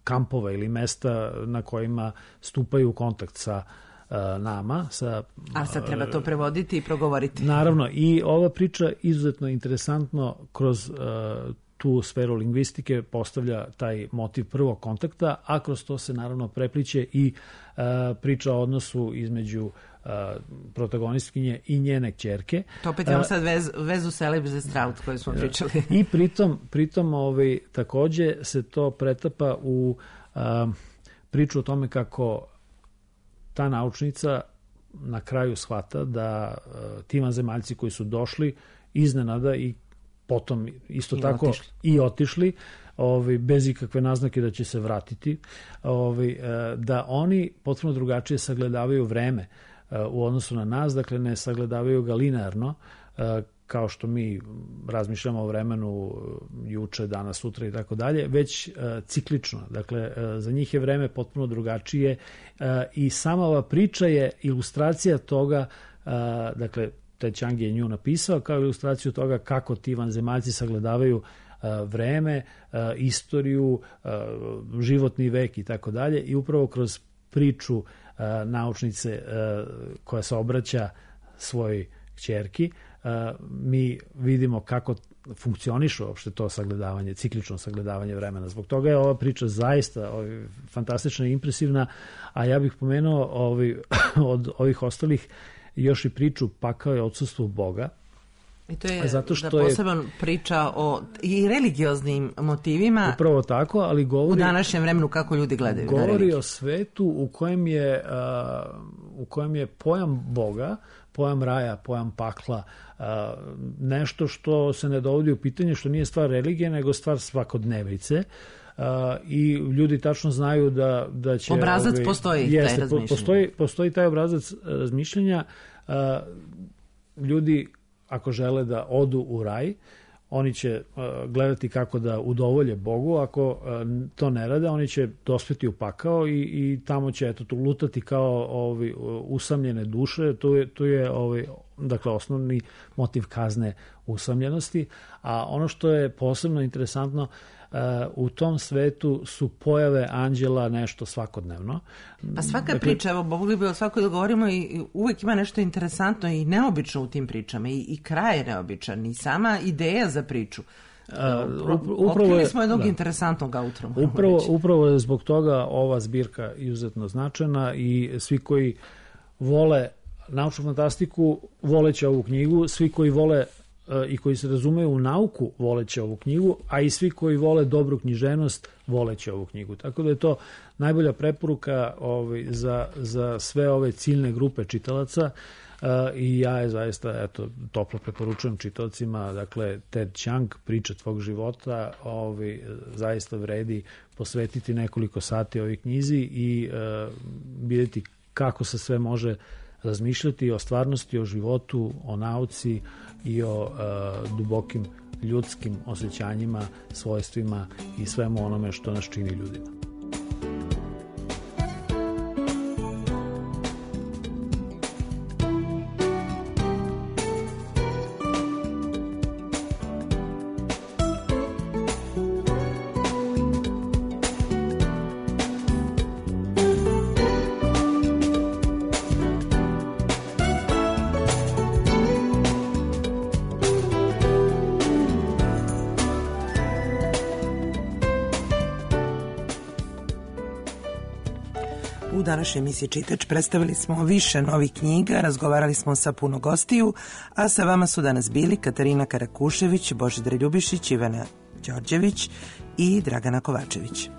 kampova ili mesta na kojima stupaju u kontakt sa nama.
A sad treba to prevoditi i progovoriti.
Naravno, i ova priča izuzetno interesantno kroz tu sferu lingvistike postavlja taj motiv prvog kontakta, a kroz to se naravno prepliće i priča o odnosu između protagonistkinje i njene kćerke.
To opet imamo sad vezu Celebrity Strout koju smo pričali.
I pritom takođe se to pretapa u priču o tome kako ta naučnica na kraju shvata da ti vanzemaljci koji su došli iznenada i potom isto tako i otišli, bez ikakve naznake da će se vratiti, da oni potpuno drugačije sagledavaju vreme u odnosu na nas, dakle ne sagledavaju ga linearno, kao što mi razmišljamo o vremenu juče, danas, sutra i tako dalje, već ciklično. Dakle, za njih je vreme potpuno drugačije i sama ova priča je ilustracija toga, dakle, Ted Chiang je nju napisao kao ilustraciju toga kako ti vanzemaljci sagledavaju vreme, istoriju, životni vek i tako dalje, i upravo kroz priču naučnice koja se obraća svojoj kćerki mi vidimo kako funkcioniše uopšte to sagledavanje, ciklično sagledavanje vremena. Zbog toga je ova priča zaista fantastična i impresivna, a ja bih pomenuo od ovih ostalih još i priču Pakao je odsustvo Boga.
I to je poseban priča o i religioznim motivima.
Upravo tako, ali govori...
U današnjem vremenu kako ljudi gledaju na religiju.
Govori o svetu u kojem je pojam Boga, pojam raja, pojam pakla, nešto što se ne dovodi u pitanje, što nije stvar religije, nego stvar svakodnevice. I ljudi tačno znaju da će...
Obrazac postoji, taj razmišljanja.
Postoji taj obrazac razmišljanja. Ljudi, ako žele da odu u raj, oni će gledati kako da udovolje Bogu. Ako to ne rade, oni će dospeti u pakao i tamo će lutati kao usamljene duše. Tu je dakle, osnovni motiv kazne usamljenosti. A ono što je posebno interesantno, u tom svetu su pojave anđela nešto svakodnevno.
Pa svaka priča, evo, mogli bi o svakoj da govorimo, i uvek ima nešto interesantno i neobično u tim pričama, i kraj je neobičan, i sama ideja za priču. Otkrili smo jednog interesantnog autora.
Upravo je zbog toga ova zbirka izuzetno značajna, i svi koji vole naučnu fantastiku voleće ovu knjigu, svi koji vole i koji se razumeju u nauku voleće ovu knjigu, a i svi koji vole dobru književnost voleće ovu knjigu. Tako da je to najbolja preporuka za sve ove ciljne grupe čitalaca, i ja je zaista toplo preporučujem čitaocima. Dakle, Ted Chiang, Priča tvog života, zaista vredi posvetiti nekoliko sati ovoj knjizi i vidjeti kako se sve može razmišljati o stvarnosti, o životu, o nauci i o dubokim ljudskim osjećanjima, svojstvima i svemu onome što nas čini ljudima.
U današnjoj emisiji Čitač predstavili smo više novih knjiga, razgovarali smo sa puno gostiju, a sa vama su danas bili Katarina Karakušević, Božidar Ljubišić, Ivana Đorđević i Dragana Kovačević.